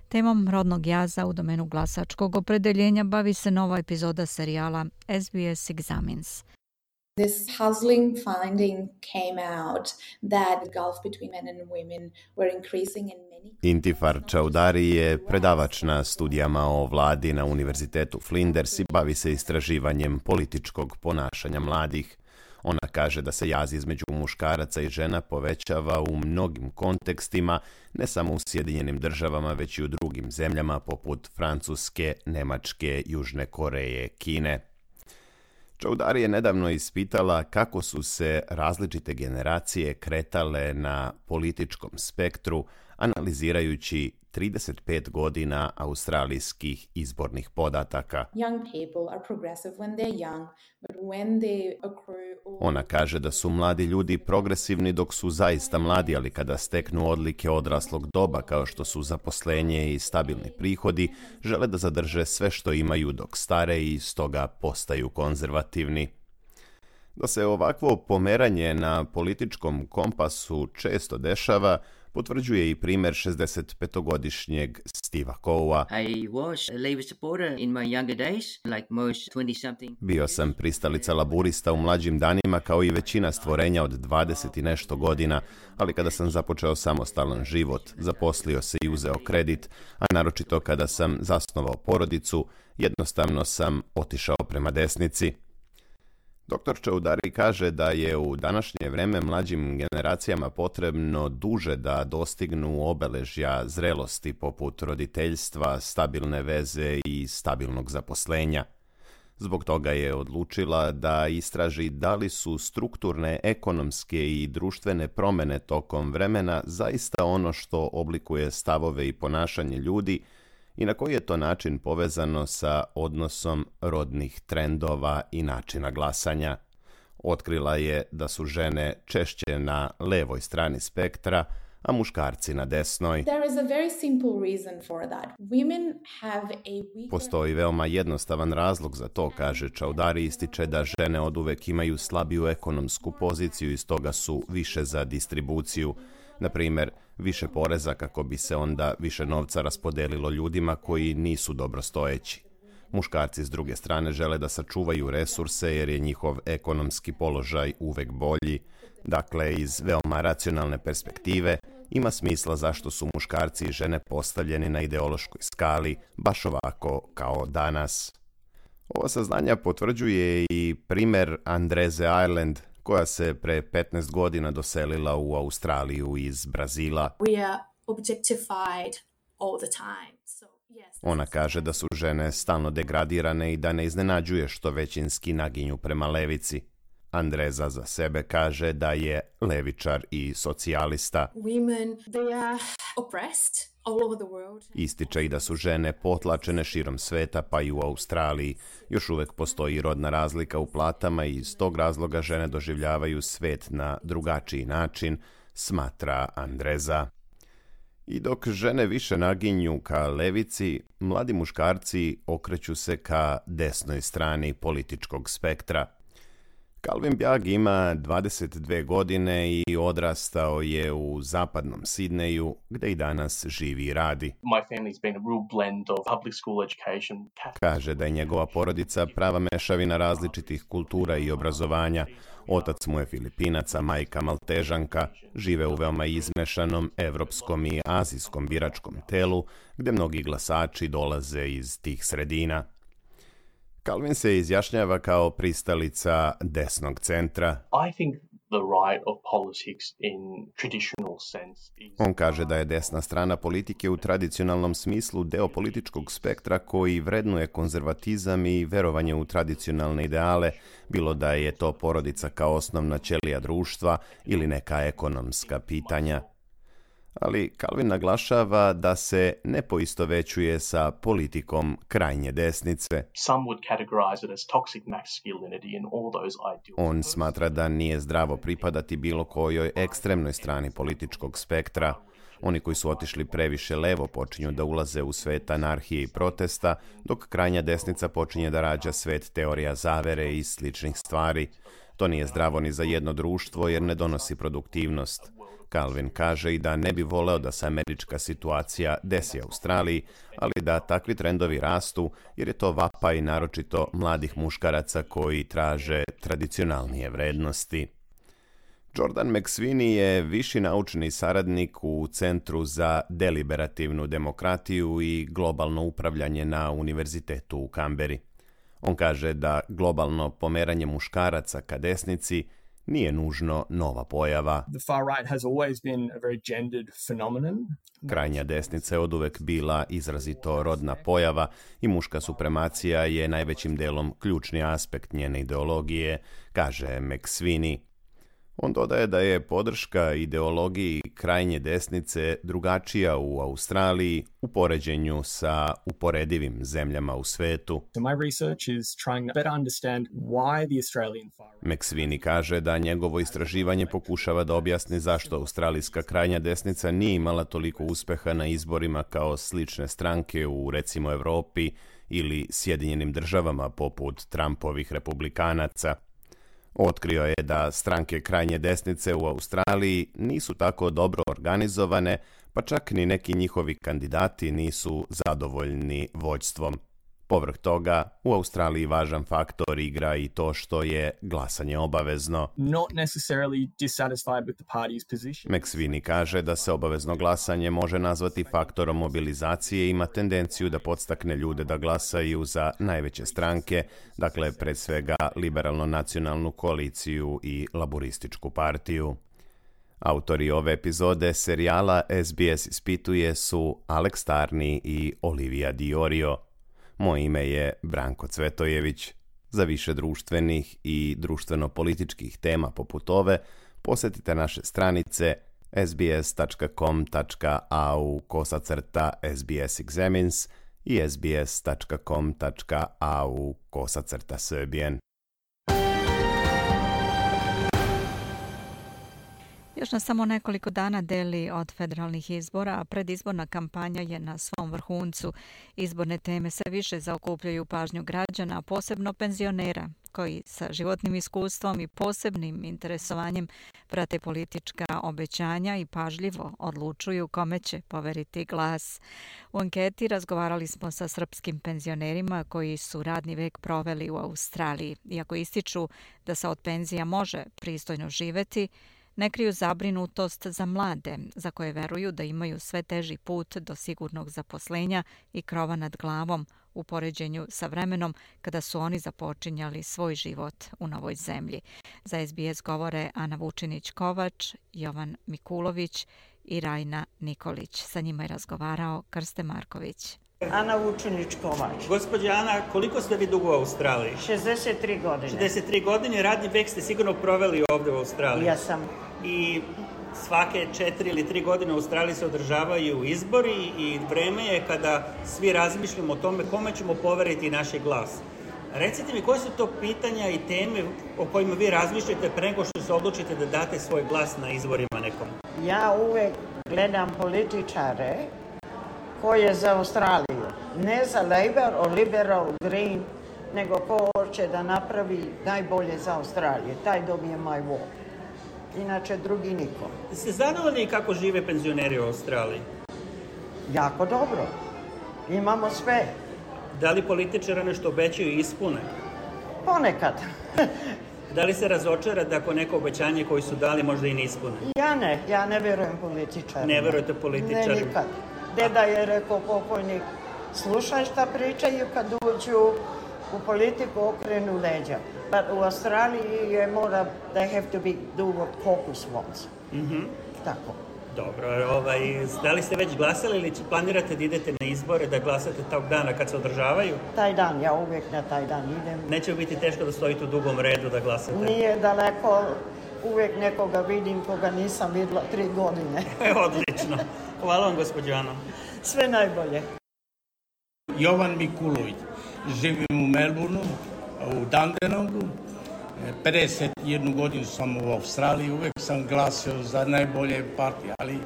Temom rodnog jaza u domenu glasačkog opredeljenja bavi se nova epizoda serijala S B S Examines. This puzzling finding came out that the gulf between men and women were increasing in many... Intifar Čaudari je predavač na studijama o vladi na Univerzitetu Flinders i bavi se istraživanjem političkog ponašanja mladih. Ona kaže da se jaz između muškaraca i žena povećava u mnogim kontekstima, ne samo u Sjedinjenim državama, već i u drugim zemljama poput Francuske, Nemačke, Južne Koreje, Kine. Čaudari je nedavno ispitala kako su se različite generacije kretale na političkom spektru, analizirajući trideset pet godina australijskih izbornih podataka. Young people are progressive when they're young, but when they accrue... Ona kaže da su mladi ljudi progresivni dok su zaista mladi, ali kada steknu odlike odraslog doba kao što su zaposlenje i stabilni prihodi, žele da zadrže sve što imaju dok stare i stoga postaju konzervativni. Da se ovakvo pomeranje na političkom kompasu često dešava, potvrđuje i primer šezdesetpetogodišnjeg Steva Cowa. Bio sam pristalica laburista u mlađim danima kao i većina stvorenja od dvadeset i nešto godina, ali kada sam započeo samostalan život, zaposlio se i uzeo kredit, a naročito kada sam zasnovao porodicu, jednostavno sam otišao prema desnici. Doktor Chaudhary kaže da je u današnje vreme mlađim generacijama potrebno duže da dostignu obeležja zrelosti poput roditeljstva, stabilne veze i stabilnog zaposlenja. Zbog toga je odlučila da istraži da li su strukturne, ekonomske i društvene promjene tokom vremena zaista ono što oblikuje stavove i ponašanje ljudi i na koji je to način povezano sa odnosom rodnih trendova i načina glasanja. Otkrila je da su žene češće na levoj strani spektra, a muškarci na desnoj. There is a very simple reason for that. Women have a weaker... Postoji veoma jednostavan razlog za to, kaže Chaudhary, ističe da žene oduvek imaju slabiju ekonomsku poziciju i stoga su više za distribuciju. Na primjer, više poreza kako bi se onda više novca raspodelilo ljudima koji nisu dobrostojeći. Muškarci s druge strane žele da sačuvaju resurse jer je njihov ekonomski položaj uvek bolji. Dakle, iz veoma racionalne perspektive ima smisla zašto su muškarci i žene postavljeni na ideološkoj skali baš ovako kao danas. Ova saznanja potvrđuje i primer Andreze Ireland, koja se pre petnaest godina doselila u Australiju iz Brazila. We are objectified all the time. So, yes. Ona kaže da su žene stalno degradirane i da ne iznenađuje što većinski naginju prema levici. Andreza za sebe kaže da je levičar i socijalista. Women, they are oppressed all over the world. Ističe i da su žene potlačene širom sveta, pa i u Australiji. Još uvek postoji rodna razlika u platama i iz tog razloga žene doživljavaju svet na drugačiji način, smatra Andreza. I dok žene više naginju ka levici, mladi muškarci okreću se ka desnoj strani političkog spektra. Calvin Bjag ima dvadeset dve godine i odrastao je u zapadnom Sidneju, gde i danas živi i radi. Kaže da je njegova porodica prava mešavina različitih kultura i obrazovanja. Otac mu je Filipinac, a majka Maltežanka. Žive u veoma izmešanom evropskom i azijskom biračkom telu, gde mnogi glasači dolaze iz tih sredina. Calvin se izjašnjava kao pristalica desnog centra. On kaže da je desna strana politike u tradicionalnom smislu deo političkog spektra koji vrednuje konzervatizam i verovanje u tradicionalne ideale, bilo da je to porodica kao osnovna ćelija društva ili neka ekonomska pitanja. Ali Calvin naglašava da se ne poistovećuje sa politikom krajnje desnice. On smatra da nije zdravo pripadati bilo kojoj ekstremnoj strani političkog spektra. Oni koji su otišli previše levo počinju da ulaze u svet anarhije i protesta, dok krajnja desnica počinje da rađa svet teorija zavere i sličnih stvari. To nije zdravo ni za jedno društvo jer ne donosi produktivnost. Calvin kaže i da ne bi voleo da se američka situacija desi Australiji, ali da takvi trendovi rastu jer je to vapaj naročito mladih muškaraca koji traže tradicionalnije vrednosti. Jordan McSweeney je viši naučni saradnik u Centru za deliberativnu demokratiju i globalno upravljanje na Univerzitetu u Kamberi. On kaže da globalno pomeranje muškaraca ka desnici nije nužno nova pojava. Krajnja desnica je oduvek bila izrazito rodna pojava i muška supremacija je najvećim delom ključni aspekt njene ideologije, kaže McSweeney. On dodaje da je podrška ideologiji krajnje desnice drugačija u Australiji u poređenju sa uporedivim zemljama u svetu. McSweeney kaže da njegovo istraživanje pokušava da objasni zašto australijska krajnja desnica nije imala toliko uspeha na izborima kao slične stranke u, recimo, Evropi ili Sjedinjenim državama poput Trumpovih republikanaca. Otkrio je da stranke krajnje desnice u Australiji nisu tako dobro organizovane, pa čak ni neki njihovi kandidati nisu zadovoljni vođstvom. Povrh toga, u Australiji važan faktor igra i to što je glasanje obavezno. McSweeney kaže da se obavezno glasanje može nazvati faktorom mobilizacije i ima tendenciju da podstakne ljude da glasaju za najveće stranke, dakle pred svega liberalno-nacionalnu koaliciju i laborističku partiju. Autori ove epizode serijala S B S ispituje su Alex Tarney i Olivia Diorio. Moje ime je Branko Cvetojević. Za više društvenih i društveno-političkih tema poput ove, posjetite naše stranice sbs.com.au kosacrta SBS Examines i sbs.com.au kosacrta Serbian. Još nas samo nekoliko dana deli od federalnih izbora, a predizborna kampanja je na svom vrhuncu. Izborne teme sve više zaokupljaju pažnju građana, posebno penzionera, koji sa životnim iskustvom i posebnim interesovanjem prate politička obećanja i pažljivo odlučuju kome će poveriti glas. U anketi razgovarali smo sa srpskim penzionerima koji su radni vek proveli u Australiji. Iako ističu da se od penzija može pristojno živeti, ne kriju zabrinutost za mlade, za koje veruju da imaju sve teži put do sigurnog zaposlenja i krova nad glavom u poređenju sa vremenom kada su oni započinjali svoj život u novoj zemlji. Za S B S govore Ana Vučinić-Kovač, Jovan Mikulović i Rajna Nikolić. Sa njima je razgovarao Krste Marković. Ana Vučinić-Kovač. Gospođa Ana, koliko ste vi dugo u Australiji? šezdeset tri godine. šezdeset tri godine, radni vek ste sigurno proveli ovdje u Australiji. Ja sam. I svake četiri ili tri godine u Australiji se održavaju izbori i vreme je kada svi razmišljamo o tome kome ćemo poveriti naš glas. Recite mi, koje su to pitanja i teme o kojima vi razmišljate pre nego što se odlučite da date svoj glas na izborima nekom? Ja uvek gledam političare koji je za Australiju. Ne za Labour o Liberal Green, nego ko hoće da napravi najbolje za Australiju. Taj dobije moj vot. Inače, drugi niko. Ste zadovoljni kako žive penzioneri u Australiji? Jako dobro. Imamo sve. Da li političara nešto obećaju i ispune? Ponekad. Da li se razočara da ako neko obećanje koji su dali možda i ne ispune? Ja ne. Ja ne verujem političarima. Ne verujete političarima? Ne, nikad. Deda je rekao pokojnik, slušaj šta pričaju kad uđu u politiku, okrenu leđa. But u Australiji je mora, they have to be, do what caucus wants. Mm-hmm. Tako. Dobro, ovaj, da li ste već glasali ili planirate da idete na izbore, da glasate tog dana kad se održavaju? Taj dan, ja uvijek na taj dan idem. Neće biti teško da stojite u dugom redu da glasate? Nije daleko, uvijek nekoga vidim koga nisam vidjela tri godine. Odlično. Hvala vam, gospođo Ana. Sve najbolje. Jovan Mikulović. Živim u Melbourneu, u Dandenongu. pedeset jednu godinu sam u Australiji. Uvijek sam glasio za najbolje partije, ali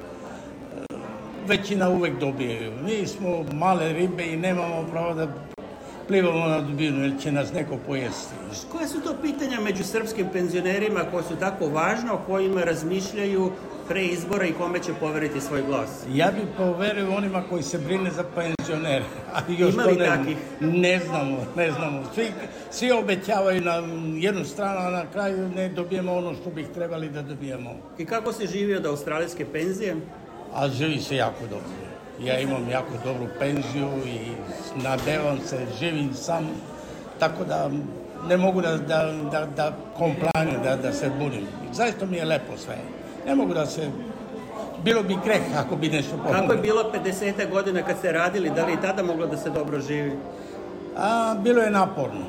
većina uvijek dobije. Mi smo male ribe i nemamo pravo da plivamo na dubinu, jer će nas neko pojesti. Koje su to pitanja među srpskim penzionerima koje su tako važne, o kojima razmišljaju pre izbora i kome će poveriti svoj glas? Ja bih poverio onima koji se brine za penzionere. Ima li takih? Ne znamo, ne znamo. Svi, svi obećavaju na jednu stranu, a na kraju ne dobijemo ono što bih trebali da dobijemo. I kako se živi od australijske penzije? A živi se jako dobro. Ja imam jako dobru penziju i nadevam se, živim sam, tako da ne mogu da, da, da, da komplaniram, da, da se bunim. Zaista mi je lepo sve. Ne mogu da se... Bilo bi kreh ako bi nešto pomoglo. Kako je bilo pedeset godina kad ste radili? Da li i tada moglo da se dobro živi? A, bilo je naporno.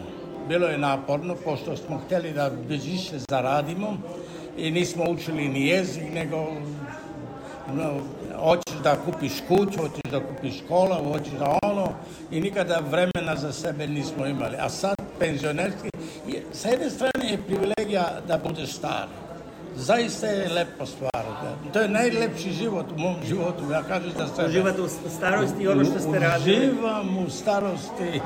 Bilo je naporno, pošto smo htjeli da više zaradimo i nismo učili ni jezik, nego no, hoćeš da kupiš kuću, hoćeš da kupiš škola, hoćeš da ono i nikada vremena za sebe nismo imali. A sad penzionerski, sa jedne strane je privilegija da budeš star. Zaista je lepo stvar. To je najlepši život u mom životu. Ja kažem da sebe... Uživate u starosti i ono što ste radili? Uživam u starosti.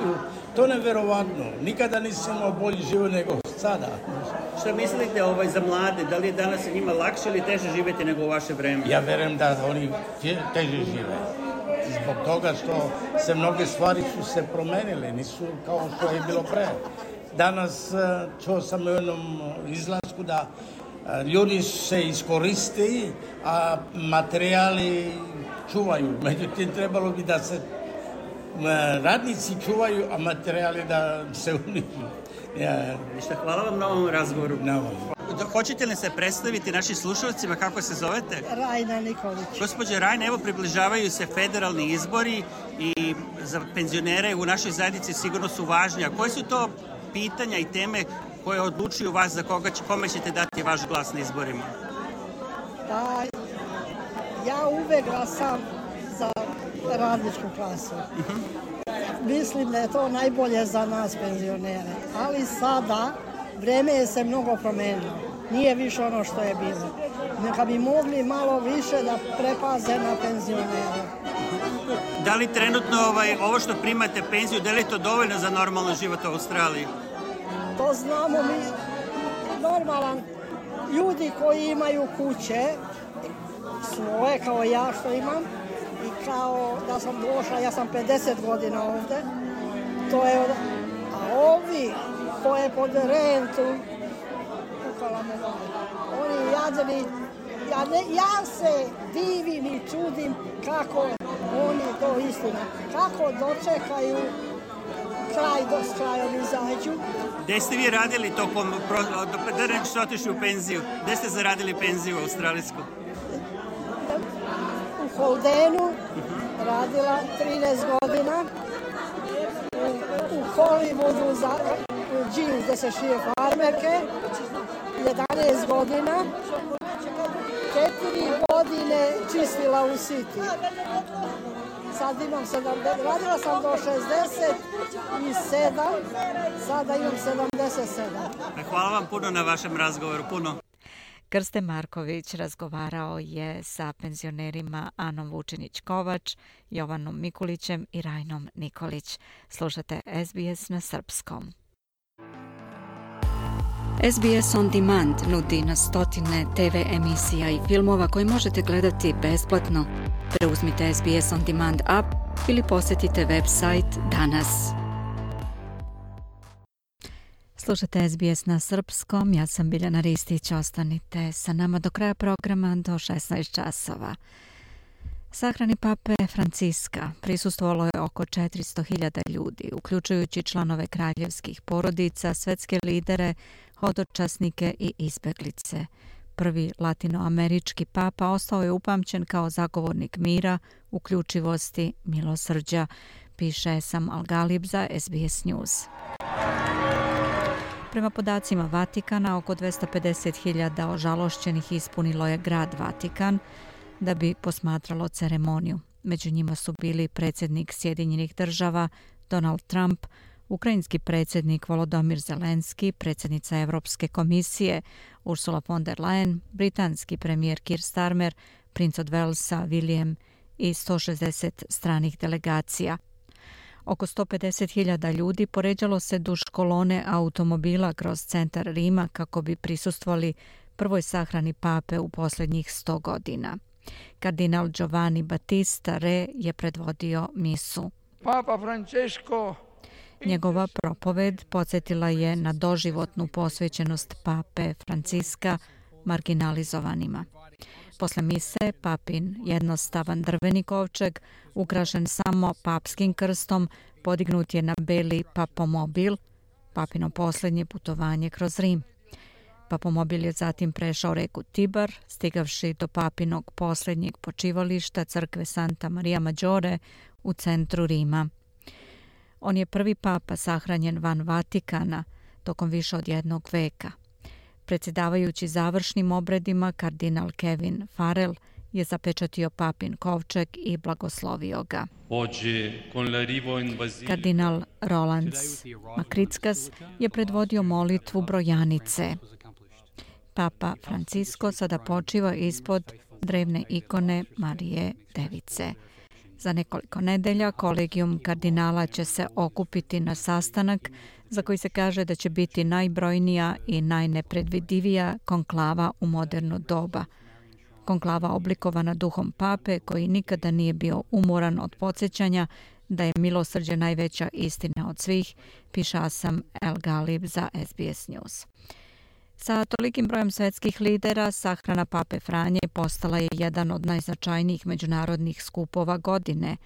To je neverovatno. Nikada nisam imao bolji život nego sada. Šta mislite ovaj, za mlade? Da li je danas njima lakše ili teže živjeti nego u vaše vreme? Ja verujem da oni teže žive. Zbog toga što se mnoge stvari su se promenile. Nisu kao što je bilo pre. Danas čuo sam u jednom izlasku da ljudi se iskoristi, a materijali čuvaju. Međutim, trebalo bi da se radnici čuvaju, a materijali da se unižu. Ja. Ništa, hvala vam na ovom razgovoru. Na ovom. Hoćete li se predstaviti našim slušalcima, kako se zovete? Rajna Nikolić. Gospođa Rajna, evo približavaju se federalni izbori i za penzionere u našoj zajednici sigurno su važni. A koje su to pitanja i teme koje odlučuju vas za koga će, kome ćete dati vaš glas na izborima? Da, ja uvek glasam za radničku klasu. Uh-huh. Mislim da je to najbolje za nas penzionere. Ali sada vreme je se mnogo promenilo. Nije više ono što je bilo. Neka bi mogli malo više da prepaze na penzionere. Da li trenutno ovaj, ovo što primate penziju, da li je to dovoljno za normalan život u Australiji? To znamo mi, normalan, ljudi koji imaju kuće, svoje kao ja što imam, i kao da sam došla, ja sam pedeset godina ovde, to je, a ovi koje pod rentu, kukala me oni jadni, ja, ne, ja se divim i čudim kako oni to istina, kako dočekaju kraj do s krajom izađu. Gde ste vi radili tokom, da nek što otišli u penziju? Gde ste zaradili penziju australijsku? U Holdenu radila trinaest godina, u, u Hollywoodu za džin gde se šije farmerke, jedanaest godina, četiri godine čistila u City. Sad imam sedamdeset, radila sam do šezdeset sedam, sada imam sedamdeset sedam. Hvala vam puno na vašem razgovoru, puno. Krste Marković razgovarao je sa penzionerima Anom Vučinić-Kovač, Jovanom Mikulićem i Rajnom Nikolić. Slušate S B S na srpskom. S B S On Demand nudi na stotine T V emisija i filmova koje možete gledati besplatno. Preuzmite S B S On Demand app ili posjetite website danas. Slušate S B S na srpskom, ja sam Biljana Ristić, ostanite sa nama do kraja programa do šesnaest časova. Sahrani pape Franciska prisustvovalo je oko četiristo hiljada ljudi, uključujući članove kraljevskih porodica, svetske lidere, hodočasnike i izbeglice. Prvi latinoamerički papa ostao je upamćen kao zagovornik mira, uključivosti, milosrđa, piše Sam Al-Galib za S B S News. Prema podacima Vatikana, oko dvesta pedeset hiljada ožalošćenih ispunilo je grad Vatikan da bi posmatralo ceremoniju. Među njima su bili predsjednik Sjedinjenih država Donald Trump, ukrajinski predsjednik Volodymyr Zelenski, predsjednica Europske komisije Ursula von der Leyen, britanski premijer Keir Starmer, princ od Walesa William i sto šezdeset stranih delegacija. Oko sto pedeset hiljada ljudi poređalo se duž kolone automobila kroz centar Rima kako bi prisustvovali prvoj sahrani pape u posljednjih sto godina. Kardinal Giovanni Battista Re je predvodio misu. Papa Francesco. Njegova propoved podsjetila je na doživotnu posvećenost pape Franciska marginalizovanima. Posle mise, papin jednostavan drveni kovčeg, ukrašen samo papskim krstom, podignut je na beli papomobil, papino posljednje putovanje kroz Rim. Papomobil je zatim prešao reku Tibar, stigavši do papinog posljednjeg počivališta crkve Santa Maria Maggiore u centru Rima. On je prvi papa sahranjen van Vatikana tokom više od jednog veka. Predsjedavajući završnim obredima, kardinal Kevin Farrell je zapečatio papin kovčeg i blagoslovio ga. Kardinal Roland Makrickas je predvodio molitvu brojanice. Papa Francisco sada počiva ispod drevne ikone Marije Device. Za nekoliko nedelja kolegijum kardinala će se okupiti na sastanak za koji se kaže da će biti najbrojnija i najnepredvidivija konklava u moderno doba. Konklava oblikovana duhom pape koji nikada nije bio umoran od podsjećanja da je milosrđe najveća istina od svih, piše Asam El Galib za S B S News. Sa tolikim brojem svetskih lidera, sahrana pape Franje postala je jedan od najznačajnijih međunarodnih skupova godine.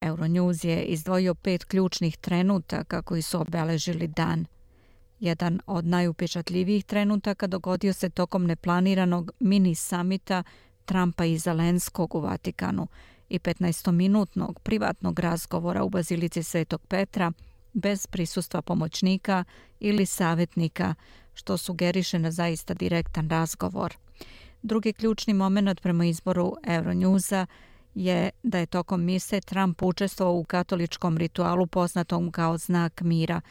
Euronews je izdvojio pet ključnih trenutaka koji su obeležili dan. Jedan od najupečatljivijih trenutaka dogodio se tokom neplaniranog mini samita Trumpa i Zelenskog u Vatikanu i petnaestominutnog privatnog razgovora u Bazilici Svetog Petra bez prisustva pomoćnika ili savjetnika, što sugeriše na zaista direktan razgovor. Drugi ključni moment prema izboru Euronewsa je da je tokom mise Trump učestvovao u katoličkom ritualu poznatom kao znak mira,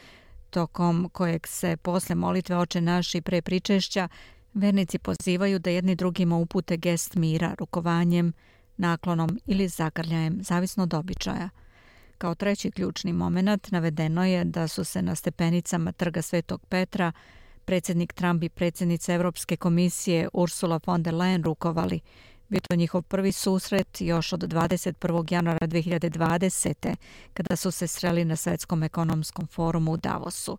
tokom kojeg se posle molitve Oče naš i pre pričešća vernici pozivaju da jedni drugima upute gest mira rukovanjem, naklonom ili zagrljajem, zavisno od običaja. Kao treći ključni moment navedeno je da su se na stepenicama Trga Svetog Petra predsjednik Trump i predsjednica Europske komisije Ursula von der Leyen rukovali. Bio to njihov prvi susret još od dvadeset prvog januara dve hiljade dvadesete. kada su se sreli na Svetskom ekonomskom forumu u Davosu.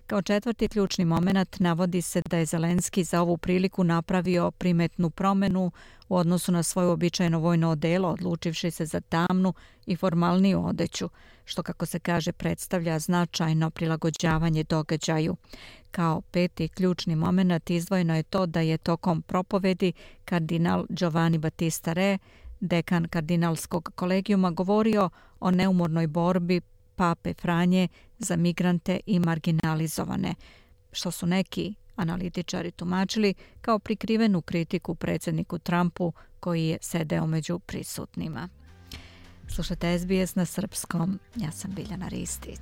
Kao četvrti ključni moment navodi se da je Zelenski za ovu priliku napravio primetnu promjenu u odnosu na svoje običajno vojno odelo, odlučivši se za tamnu i formalniju odeću, što kako se kaže predstavlja značajno prilagođavanje događaju. Kao peti ključni moment izdvojeno je to da je tokom propovedi kardinal Giovanni Battista Re, dekan kardinalskog kolegijuma, govorio o neumornoj borbi pape Franje za migrante i marginalizovane, što su neki analitičari tumačili kao prikrivenu kritiku predsjedniku Trumpu koji je sedeo među prisutnima. Slušate S B S na srpskom, ja sam Biljana Ristić.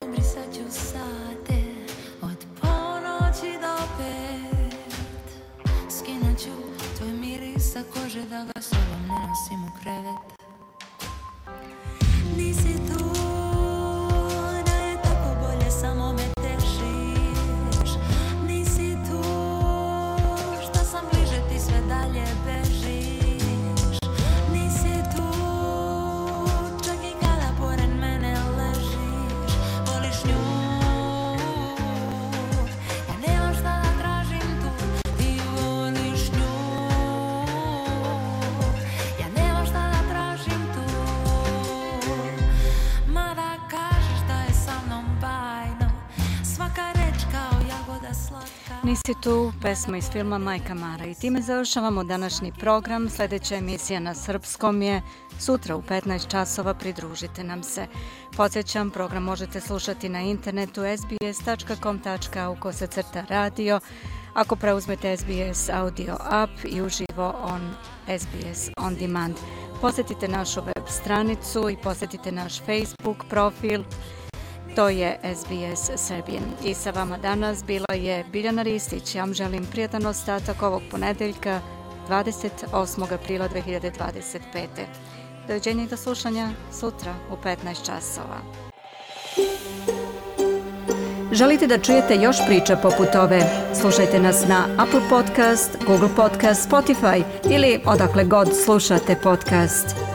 Obrisat ću sate od ponoći do pet. Skinut ću tvoj miris sa kože da ga sobom ne nosim u krevet. Nisi tu, da je tako bolje, samo me tešiš. Nisi tu, što sam bliže ti sve dalje bežiš. Nisi tu, čak i kada pored mene ležiš. Voliš nju, ja nemam šta da tražim tu. Ti voliš nju, ja nemam šta da tražim tu. Mada kažeš da je sa mnom bajno, svaka reč kao jagoda slatka. Nisi tu, pesma iz filma Majka Mara. I time završavamo današnji program. Sljedeća emisija na srpskom je sutra u petnaest časova. Pridružite nam se. Podsjećam, program možete slušati na internetu s b s tačka com tačka a u kosacrta radio. Ako preuzmete S B S audio app i uživo on S B S On Demand. Posjetite našu web stranicu i posjetite naš Facebook profil. To je S B S Serbian. I sa vama danas bila je Biljana Ristić. Ja vam želim prijatan ostatak ovog ponedeljka, dvadeset osmog aprila dve hiljade dvadeset pete. Doviđenja i do slušanja sutra u petnaest časova. Želite da čujete još priča poput ove? Slušajte nas na Apple Podcast, Google Podcast, Spotify ili odakle god slušate podcast.